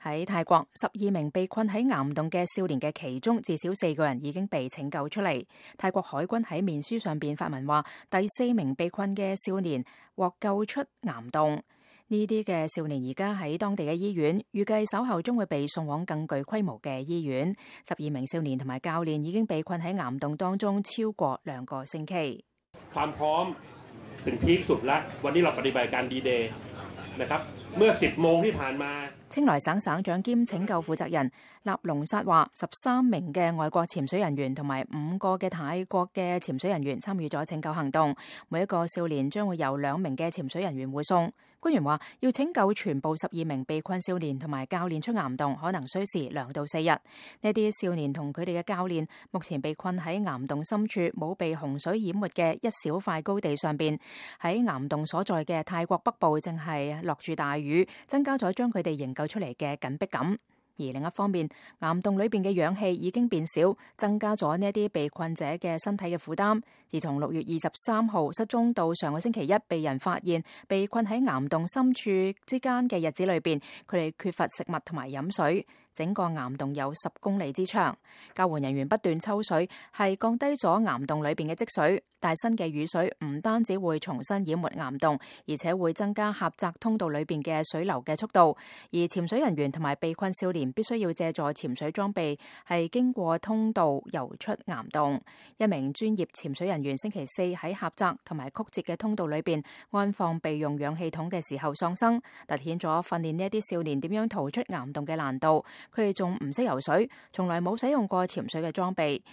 喺泰國，12名被困喺岩洞嘅少年嘅其中，至少4個人已經被拯救出嚟。泰國海軍喺面書上邊發文話，第4名被困嘅少年獲救出岩洞。呢啲嘅少年而家喺當地嘅醫院，預計稍後將會被送往更具規模嘅醫院。12名少年同埋教練已經被困喺岩洞當中超過2個星期。ความพร้อมถึงพีคสุดละวันนี้เราปฏิบัติการดีเดย์นะครับเมื่อ10โมงที่ผ่านมา 清萊省省長兼拯救負責人納隆薩話，13名嘅外國潛水人員同埋5個嘅泰國嘅潛水人員參與咗拯救行動，每一個少年將會由2名嘅潛水人員護送。官員話，要拯救全部12名被困少年同埋教練出岩洞，可能需時2到4日。呢啲少年同佢哋嘅教練目前被困喺岩洞深處冇被洪水淹沒嘅一小塊高地上邊。喺岩洞所在嘅泰國北部正係落住大雨，增加咗將佢哋營救出嚟嘅緊迫感。而另一方面，岩洞裏邊嘅氧氣已經變少，增加咗呢一啲被困者嘅身體嘅負擔。自從6月23號失蹤到上個星期一被人發現被困喺岩洞深處之間嘅日子裏邊，佢哋缺乏食物同埋飲水。整個岩洞有10公里之長，救援人員不斷抽水，係降低咗岩洞裏邊嘅積水。但新嘅雨水唔單止會重新淹沒岩洞，而且會增加狹窄通道裏邊嘅水流嘅速度。而潛水人員同埋被困少年必須要借助潛水裝備，係經過通道游出岩洞。一名專業潛水人員星期4喺狹窄同埋曲折嘅通道裏邊安放備用氧氣筒嘅時候喪生，凸顯咗訓練呢一啲少年點樣逃出岩洞嘅難度。佢哋仲唔識游水，從來冇使用過潛水嘅裝備。